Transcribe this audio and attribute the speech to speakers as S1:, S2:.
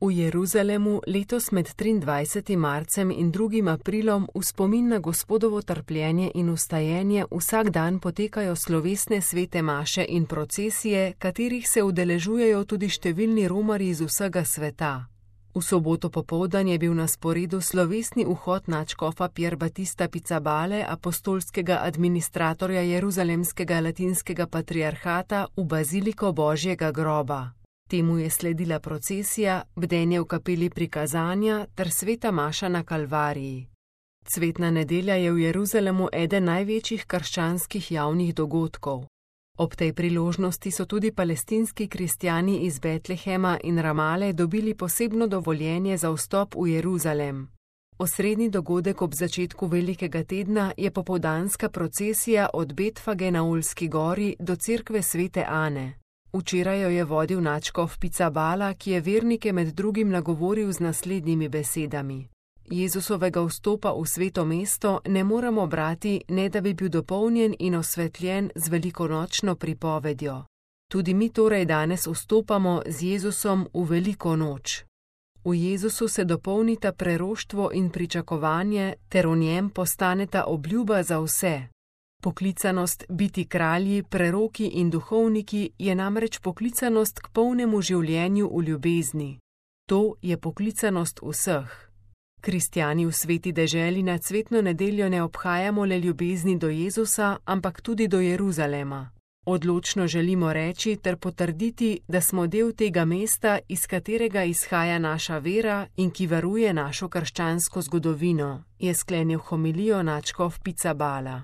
S1: V Jeruzalemu letos med 23. marcem in 2. aprilom v spomin na Gospodovo trpljenje in vstajenje vsak dan potekajo slovesne svete maše in procesije, katerih se udeležujejo tudi številni romarji iz vsega sveta. V soboto popoldan je bil na sporedu slovesni vhod nadškofa Pier Battista Pizzabale, apostolskega administratorja Jeruzalemskega latinskega patriarhata, v baziliko Božjega groba. Temu je sledila procesija, bdenje v kapeli prikazanja ter sveta maša na Kalvariji. Cvetna nedelja je v Jeruzalemu eden največjih krščanskih javnih dogodkov. Ob tej priložnosti so tudi palestinski kristjani iz Betlehema in Ramale dobili posebno dovoljenje za vstop v Jeruzalem. Osrednji dogodek ob začetku velikega tedna je popoldanska procesija od Betfage na Olski gori do cerkve svete Ane. Včeraj jo je vodil nadškof Pizzabala, ki je vernike med drugim nagovoril z naslednjimi besedami. Jezusovega vstopa v sveto mesto ne moremo brati, ne da bi bil dopolnjen in osvetljen z velikonočno pripovedjo. Tudi mi torej danes vstopamo z Jezusom v veliko noč. V Jezusu se dopolnita preroštvo in pričakovanje, ter v njem postaneta obljuba za vse. Poklicanost biti kralji, preroki in duhovniki je namreč poklicanost k polnemu življenju v ljubezni. To je poklicanost vseh. Kristjani v sveti deželi na cvetno nedeljo ne obhajamo le ljubezni do Jezusa, ampak tudi do Jeruzalema. Odločno želimo reči ter potrditi, da smo del tega mesta, iz katerega izhaja naša vera in ki varuje našo krščansko zgodovino, je sklenil homilijo nadškof Pizzabala.